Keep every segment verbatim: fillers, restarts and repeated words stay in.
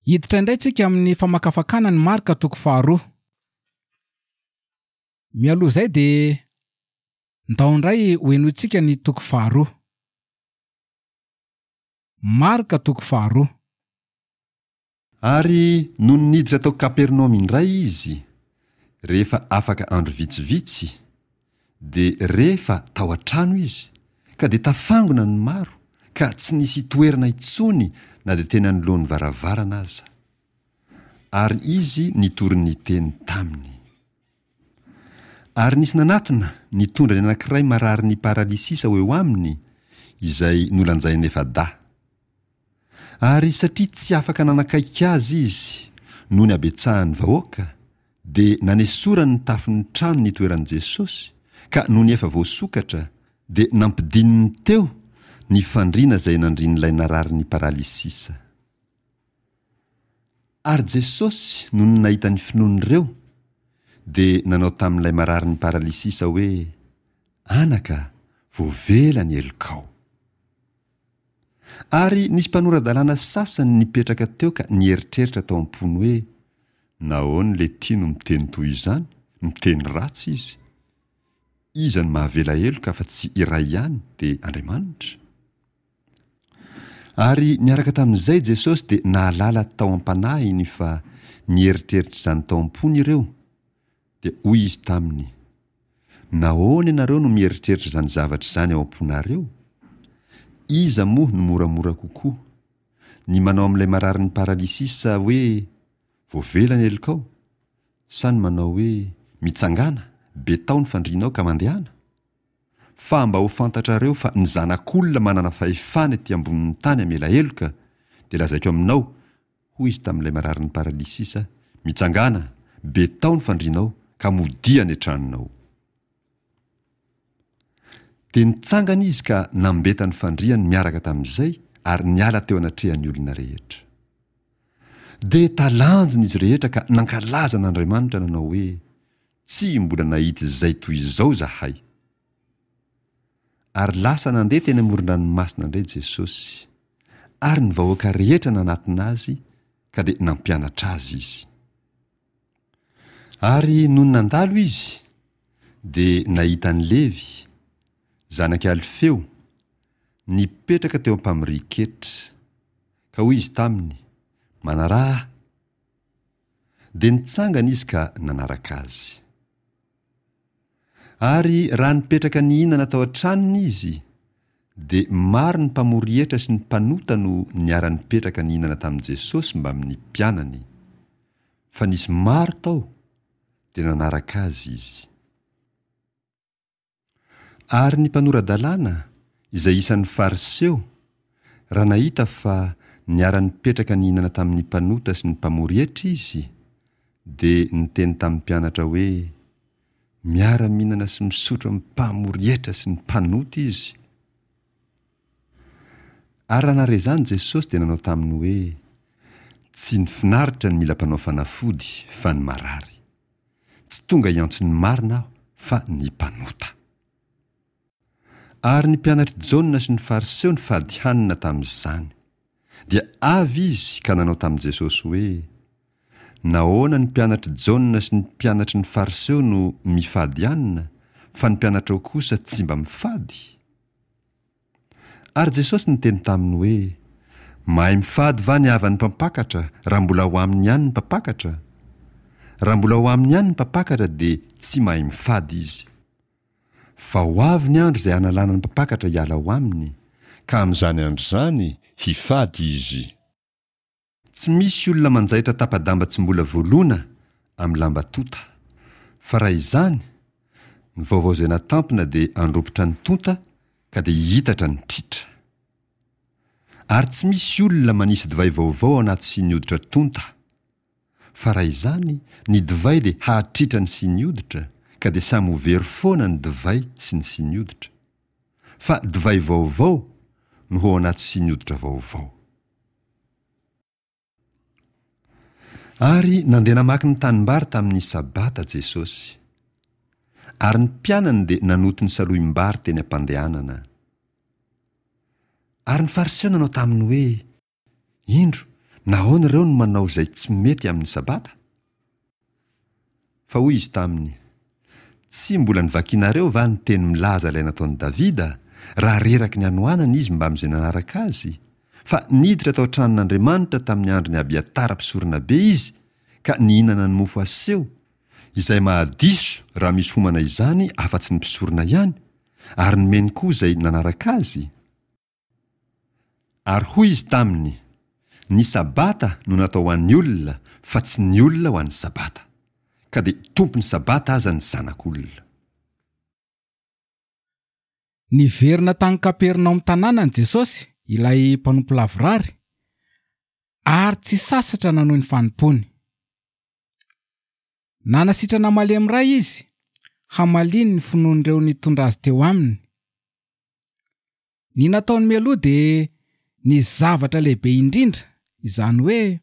Hiditra indray tsika amin'ny famakafakana ny Marka toko faharoa. Mialoha izay dia ndao indray ho henointsika ny toko faharoa. Marka toko faharoa. Ary nony niditra tao Kapernaomy indray izy, rehefa afaka andro vitsivitsy, dia re fa tao an-trano izy, ka dia tafangona ny maro, ka tsy nisy toerana intsony na dia teny anoloan'ny varavarana aza. Ary izy nitory ny teny taminy. Ary nisy nanatona nitondra ny anankiray mararin'ny paralysisa ho eo aminy, izay nolanjainy efa-dahy. Ary satria tsy afaka nanakaiky azy izy noho ny habetsahan'ny vahoaka, dia nanesorany ny tafon'ny trano nitoeran'i Jesosy, ka nony efa voasokatra, dia nampidininy teo ny fandriana izay nandrian'ilay nararin'ny paralysisa. Ary Jesosy nony nahita ny finoan'ireo, dia nanao tamin'ilay mararin'ny paralysisa hoe: Anaka, voavela ny helokao. Ary nisy mpanora-dalàna sasany nipetraka teo ka nieritreritra tao am-pony hoe: Nahoana ilay no miteny toy izany? Miteny ratsy izy. Iza no mahavela heloka afa-tsy iray ihany, dia Andriamanitra? Ary niaraka tamin'izay Jesosy dia nahalala tao am-panahiny fa nieritreritra izany tao am-pony ireo, dia hoy izy taminy: Nahoana ianareo no mieritreritra izany zavatra izany ao am-ponareo? Iza moa no moramora kokoa? Ny manao amin'ilay mararin'ny paralysisa hoe: Voavela ny helokao? Sa ny manao hoe: Mitsangàna, betao ny fandrianao ka mandehana? Fa mba ho fantatrareo fa ny Zanak'olona manana fahefana ety ambonin'ny tany hamela heloka, dia lazaiko aminao, hoy izy tamin'ilay mararin'ny paralysisa, mitsangàna, betao ny fandrianao ka modia any an-tranonao. Dia nitsangana izy ka nambeta ny fandriany miaraka tamin'izay ary niala teo anatrehan'ny olona rehetra. Dia talanjona izy rehetra ka nankalaza an'Andriamanitra nanao hoe: Tsy mbola nahita izay toy izao izahay. Ary lasa nandeha teny amoron-dranomasina indray Jesosy, ary ny vahoaka rehetra nanatona azy, ka dia nampianatra azy izy. Ary nony nandalo izy, dia nahita an'i Levy, zanak'i Alfeo, nipetraka teo am-pamorian-ketra. Ka hoy izy taminy: Manaraha ahy. Dia nitsangana izy ka nanaraka azy. Ary raha nipetraka nihinana tao an-tranony izy, dia maro ny mpamory hetra sy ny mpanota no niara-nipetraka nihinana tamin'i Jesosy mbamin'ny mpianany. Fa nisy maro tao, dia nanaraka azy izy. Ary ny mpanora-dalàna, izay isan'ny Fariseo, raha nahita fa niara-nipetraka nihinana tamin'ny mpanota sy ny mpamory hetra izy, dia niteny tamin'ny mpianatra hoe: Miara-mihinana sy misotro amin'ny mpamory hetra sy ny mpanota izy. Ary raha nahare izany Jesosy dia nanao taminy hoe: Tsy ny finaritra no mila mpanao fanafody, fa ny marary. Tsy tonga hiantso ny marina aho, fa ny mpanota. Ary ny mpianatr'i Jaona sy ny Fariseo nifady hanina tamin'izany. Dia avy izy ka nanao tamin'i Jesosy hoe: Nahoana ny mpianatr'i Jaona sy ny mpianatry ny Fariseo no mifady hanina, fa ny mpianatrao kosa tsy mba mifady? Ary Jesosy niteny taminy hoe: Mahay mifady va ny havan'ny mpampakatra raha mbola ao aminy ihany ny mpampakatra? Raha mbola ao aminy ihany ny mpampakatra dia tsy mahay mifady izy. Fa ho avy ny andro izay hanalana ny mpampakatra hiala ao aminy, ka amin'izany andro izany hifady izy. Tsy misy olona manjaitra tapa-damba tsy mbola voalona amin'ny lamba tonta. Fa raha izany, ny vaovao izay natampina dia handrobotra ny tonta ka dia hihitatra ny tritra. Ary tsy misy olona manisy divay vaovao ao anaty siny hoditra tonta. Fa raha izany, ny divay dia hahatritra ny siny hoditra, ka dia samy ho very foana ny divay sy ny siny hoditra. Fa divay vaovao no ho ao anaty siny hoditra vaovao. Ary nandeha namaky ny tanimbary tamin'ny Sabata Jesosy. Ary ny mpianany dia nanoto ny salohim-bary teny am-pandehanana. Ary ny Fariseo nanao taminy hoe: Indro, Nahoana ireo no manao izay tsy mety amin'ny Sabata? Fa hoy izy taminy, Tsy mbola novakinareo va ny teny milaza ilay nataon'i Davida, raha reraky ny hanoanana izy mbamin'izay nanaraka azy? Fa niditra tao an-tranon'Andriamanitra tamin'ny andron'i Abiatara mpisoronabe izy, ka nihinana ny mofo aseho, izay mahadiso raha misy homana izany afa-tsy ny mpisorona ihany, ary nomeny koa izay nanaraka azy? Ary hoy izy taminy, Ny Sabata no natao ho an'ny olona, fa tsy ny olona ho an'ny Sabata. Ka dia tompon'ny Sabata aza ny Zanak'olona. Niverina tany Kapernaomy tanànany Jesosy, ilay mpanompo lavorary, ary tsy sasatra nanohy ny fanompoany. Nanasitrana malemy iray izy, hamaliany ny finoan'ireo nitondra azy teo aminy. Ny nataony mialoha dia ny zavatra lehibe indrindra, izany hoe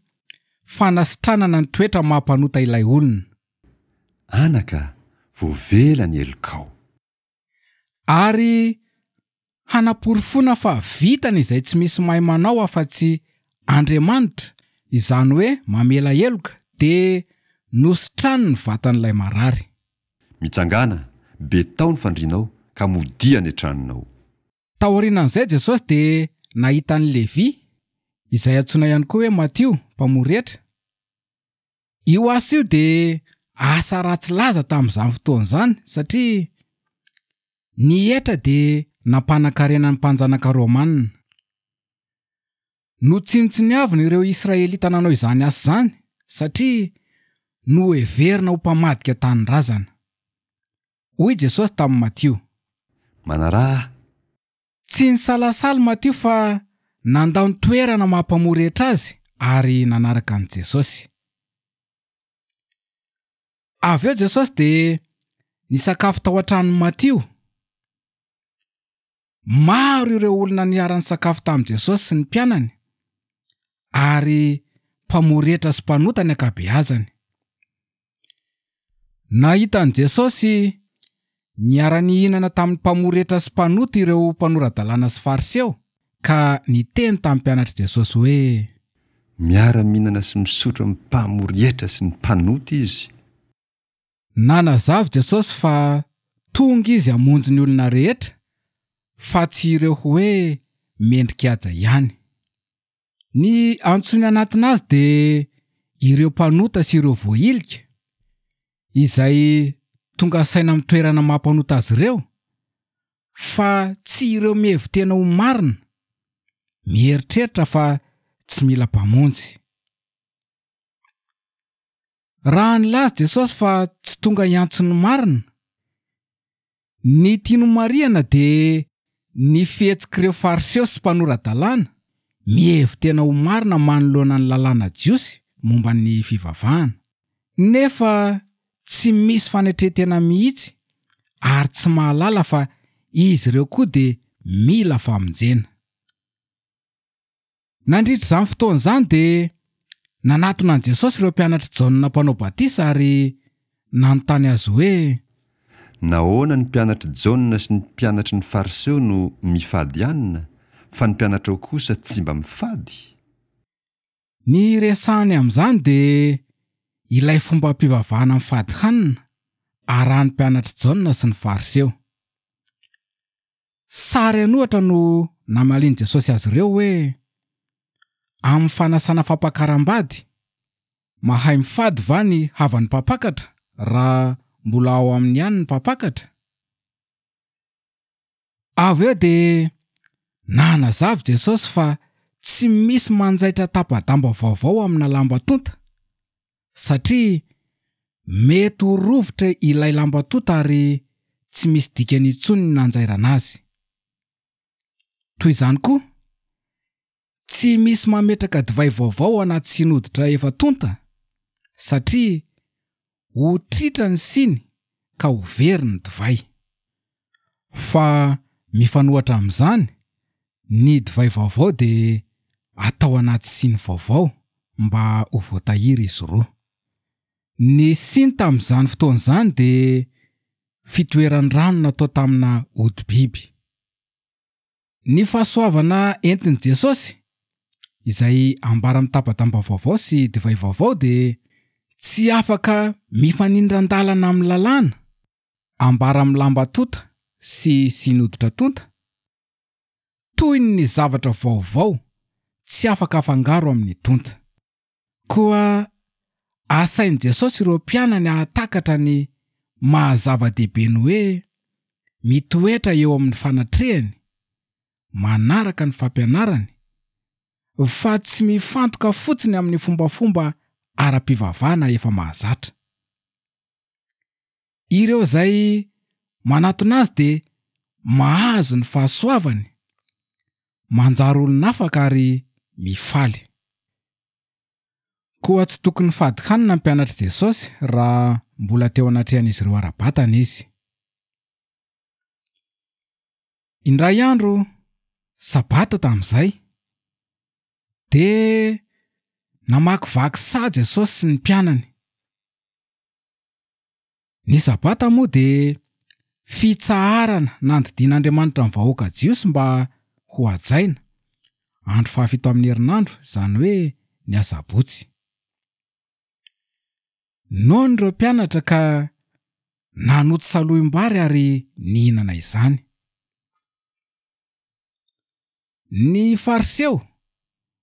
fanasitranana ny toetra maha mpanota ilay olona. Anaka, voavela ny helokao. Ary hanaporofoana fa vitany izay tsy misy mahay manao afa-tsy Andriamanitra, izany hoe mamela heloka, dia nositrany ny vatan'ilay marary. Mitsangàna, betao ny fandrianao, ka modia any an-tranonao. Taorianan'izay Jesosy dia nahita an'i Levy, izay antsoina ihany koa hoe Matio, mpamory hetra. Io asa io dia asa ratsy laza tamin'izany fotoana izany, satria ny hetra dia nampanan-karena ny mpanjanaka romanina. Notsinontsiniavina ireo Israelita nanao izany asa izany, satria noheverina ho mpamadika tanindrazana. Hoy Jesosy tamin'i Matio. Manaraha ahy. Tsy nisalasala Matio fa nandao ny toerana maha mpamory hetra azy ary nanaraka an'i Jesosy. Avy eo Jesosy dia nisakafo tao an-tranon'i Matio. Maro ireo olona niara-nisakafo tamin'i Jesosy sy ny mpianany, ary mpamory hetra sy mpanota ny ankabeazany. Nahita an'i Jesosy niara-nihinana tamin'ny mpamory hetra sy mpanota ireo mpanora-dalàna sy Fariseo, ka niteny tamin'ny mpianatr'i Jesosy hoe: Miara-mihinana sy misotro amin'ny mpamory hetra sy ny mpanota izy. Nanazava Jesosy fa tonga izy hamonjy ny olona rehetra, fa tsy ireo hoe mendrika-haja ihany. Ny antsoiny anatina azy dia ireo mpanota sy ireo voahilika, izay tonga saina amin'ny toerana maha mpanota azy ireo, fa tsy ireo mihevi-tena ho marina, mieritreritra fa tsy mila mpamonjy. Raha nilaza Jesosy fa tsy tonga hiantso ny marina, ny tiany ho marihana dia ny fihetsik'ireo Fariseo sy mpanora-dalàna, mihevi-tena ho marina manoloana ny lalàna jiosy momba ny fivavahana, nefa tsy misy fanetren-tena mihitsy ary tsy mahalala fa izy ireo koa dia mila famonjena. Nandritra izany fotoana izany dia nanatona an'i Jesosy ireo mpianatr'i Jaona mpanao batisa ary nanontany azy hoe: Nahoana ny mpianatr'i Jaona sy ny mpianatry ny Fariseo no mifady hanina, fa ny mpianatrao kosa tsy mba mifady? Ny resahany amin'izany dia ilay fombam-pivavahana mifady hanina arahan'ny mpianatr'i Jaona sy ny Fariseo. Sary an'ohatra no namalian'i Jesosy azy ireo hoe: Amin'ny fanasana fampakaram-bady, mahay mifady va ny havan'ny mpampakatra raha mbola ao aminy ihany ny mpampakatra? Avy eo dia nanazava Jesosy fa tsy misy manjaitra tapa-damba vaovao amina lamba tonta, satria mety ho rovitra ilay lamba tonta ary tsy misy dikany intsony ny nanjairana azy. Toy izany koa, tsy misy mametraka divay vaovao anaty siny hoditra efa tonta, satria ho tritra ny siny ka ho very ny divay. Fa mifanohitra amin'izany, ny divay vaovao dia atao anaty siny vaovao mba ho voatahiry izy roa. Ny siny tamin'izany fotoana izany dia fitoeran-drano natao tamina hodi-biby. Ny fahasoavana entin'i Jesosy, izay ambara amin'ny tapa-damba vaovao sy divay vaovao dia tsy afaka mifanindran-dalana amin'ny lalàna ambara amin'ny lamba tonta sy siny hoditra tonta, toy ny zavatra vaovao tsy afaka afangaro amin'ny tonta. Koa asain'i Jesosy ireo mpianany hahatakatra ny maha zava-dehibe ny hoe mitoetra eo amin'ny fanatrehany, manaraka ny fampianarany, fa tsy mifantoka fotsiny amin'ny fombafomba ara-pivavahana efa mahazatra. Ireo izay manatona azy dia mahazo ny fahasoavany, manjary olon'afaka ary mifaly. Koa tsy tokony fady hanina ny mpianatr'i Jesosy raha mbola teo anatrehan'izy ireo ara-batana izy. Indray andro, sabata tamin'izay, dia namakivaky saha Jesosy sy ny mpianany. Ny sabata moa dia fitsaharana nandidian'Andriamanitra ny vahoaka jiosy mba ho hajaina, andro fahafito amin'ny herinandro, izany hoe ny asabotsy. Noana ireo mpianatra ka nanoto salohim-bary ary nihinana izany. Ny Fariseo,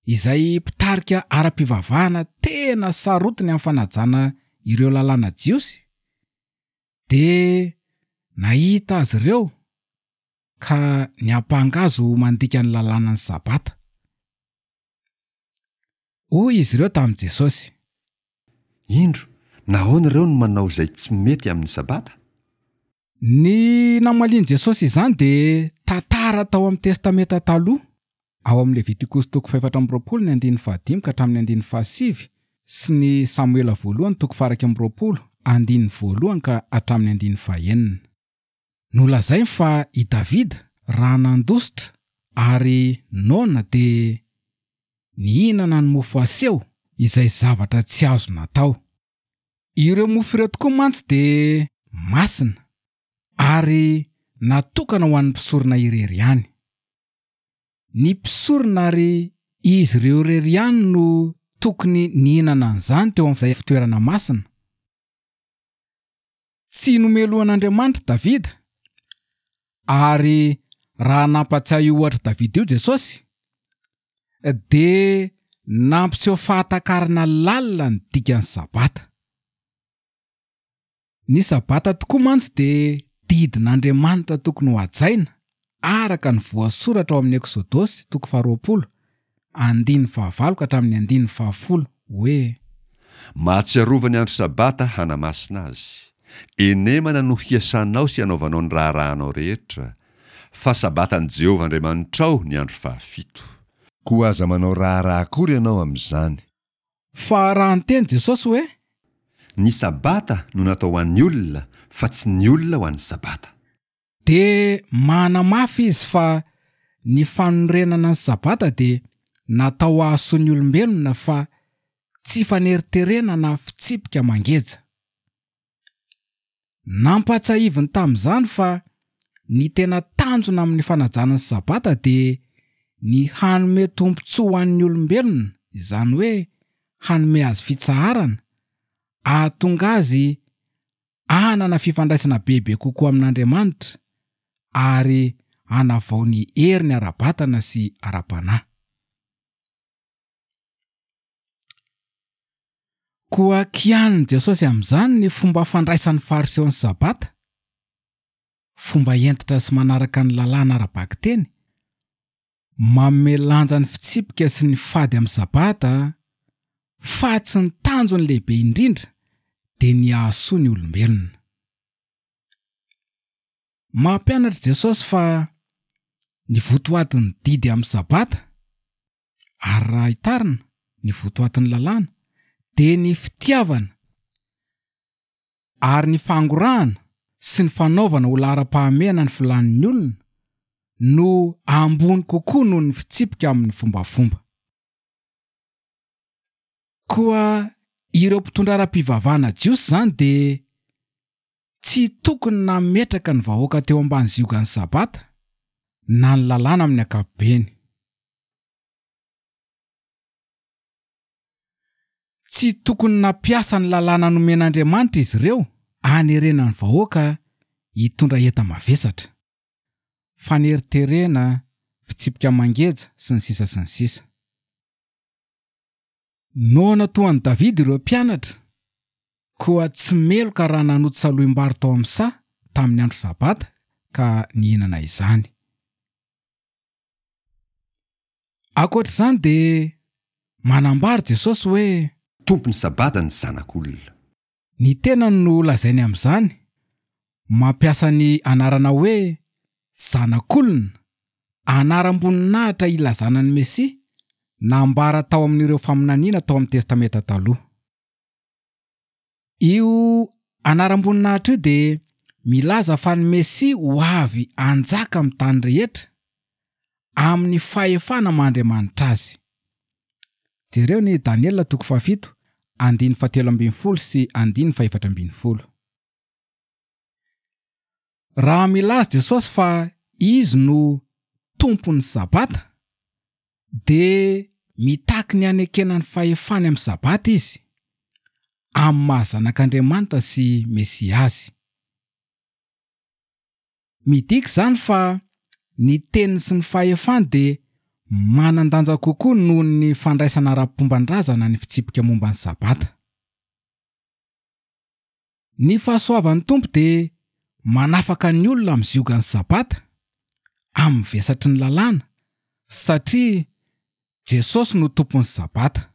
izay mpitarika ara-pivavahana tena sarotiny amin'ny fanajana ireo lalàna jiosy, dia nahita azy ireo ka niampanga azy ho mandika ny lalànan'ny Sabata. Hoy izy ireo tamin'i Jesosy: Indro, nahoana ireo no manao izay tsy mety amin'ny Sabata? Ny namalian'i Jesosy izany dia tantara tao amin'ny Testamenta Taloha, ao amin'ny Levitikosy toko fahefatra amby roapolo ny andininy fahadimy ka hatramin'ny andininy fahasivy sy ny Samoela voalohany toko faha-iraika amby roapolo andininy voalohany ka hatramin'ny andininy fahenina. Nolazainy fa i Davida raha nandositra ary noana dia nihinana ny mofo aseho izay zavatra tsy azo natao. Ireo mofo ireo tokoa mantsy dia masina ary natokana ho an'ny mpisorona irery ihany. Ny mpisorona ary izy ireo irery ihany no tokony nihinana an'izany teo amin'izay fitoerana masina. Tsy nomelohan'Andriamanitra Davida, ary raha nampatsiahy io ohatr'i Davida io Jesosy, dia nampiseho fahatakarana lalina ny dikan'ny Sabata. Ny Sabata tokoa mantsy dia didin'Andriamanitra tokony ho hajaina araka ny voasoratra ao amin'ny Eksodosy toko faharoapolo, andininy fahavalo ka hatramin'ny andininy fahafolo hoe: Mahatsiarova ny andro Sabata hanamasina azy. Enemana no hiasanao sy anaovanao ny raharahanao rehetra, fa Sabatan'i Jehovah Andriamanitrao ny andro fahafito. Koa aza manao raharaha akory ianao amin'izany. Fa raha niteny Jesosy hoe: Ny Sabata no natao ho an'ny olona, fa tsy ny olona ho an'ny Sabata. Dia manamafy izy fa ny fanorenana ny Sabata dia natao hahasoa ny olombelona fa tsy faneriterena na fitsipika mangeja. Nampahatsiahiviny tamin'izany fa ny tena tanjona amin'ny fanajana ny Sabata dia ny hanome tombontsoa ho an'ny olombelona, izany hoe hanome azy fitsaharana, ahatonga azy hanana fifandraisana bebe kokoa amin'Andriamanitra ary hanavao ny heriny ara-batana sy ara-panahy. Koa kianin'i Jesosy amin'izany ny fomba fandraisan'ny Fariseo ny Sabata, fomba hentitra sy manaraka ny lalàna ara-bakiteny, manome lanja ny fitsipika sy ny fady amin'ny Sabata, fa tsy ny tanjony lehibe indrindra dia ny hahasoa ny olombelona. Mampianatra Jesosy fa ny votoatin'ny didy amin'ny Sabata, ary raha hitarina ny votoatin'ny lalàna, dia ny fitiavana ary ny fangorahana sy ny fanaovana ho laharam-pahamehana ny filàn'ny olona no ambony kokoa noho ny fitsipika amin'ny fombafomba. Koa ireo mpitondra ara-pivavahana jiosy izany dia tsy tokony nametraka ny vahoaka teo ambany ziogan'ny Sabata na ny lalàna amin'ny ankapobeny. Tsy tokony nampiasa ny lalàna nomen'Andriamanitra izy ireo hanerena ny vahoaka hitondra enta-mavesatra. Faneriterena, fitsipika mangeja, sy ny sisa sy ny sisa. Noana toa an'i Davida ireo mpianatra, koa tsy meloka raha nanoto salohim-bary tao amin'ny saha tamin'ny andro sabata ka nihinana izany. Ankoatra izany dia manambara Jesosy hoe Tompon'ny sabata ny Zanak'olona. Ny tenany no lazainy amin'izany, mampiasa ny anarana hoe Zanak'olona, anaram-boninahitra ilazana ny Mesia, nambara tao amin'ireo faminaniana tao amin'ny Testamenta Taloha. Io anaram-boninahitra io dia milaza fa ny Mesia ho avy hanjaka amin'ny tany rehetra, amin'ny fahefana maha Andriamanitra azy. Jereo ny Daniela toko fahafito, andininy fahatelo ambin'ny folo sy andininy fahefatra ambin'ny folo. Raha milaza Jesosy fa Izy no Tompon'ny Sabata, dia mitaky ny hanekena ny fahefany amin'ny Sabata Izy, amin'ny maha Zanak'Andriamanitra sy Mesia Azy. Midika izany fa ny teniny sy ny fahefany dia manan-danja kokoa noho ny fandraisana ara-pomban-drazana ny fitsipika momba ny Sabata. Ny fahasoavan'ny Tompo dia manafaka ny olona amin'ny ziogan'ny Sabata, amin'ny vesatry ny lalàna, satria Jesosy no Tompon'ny Sabata.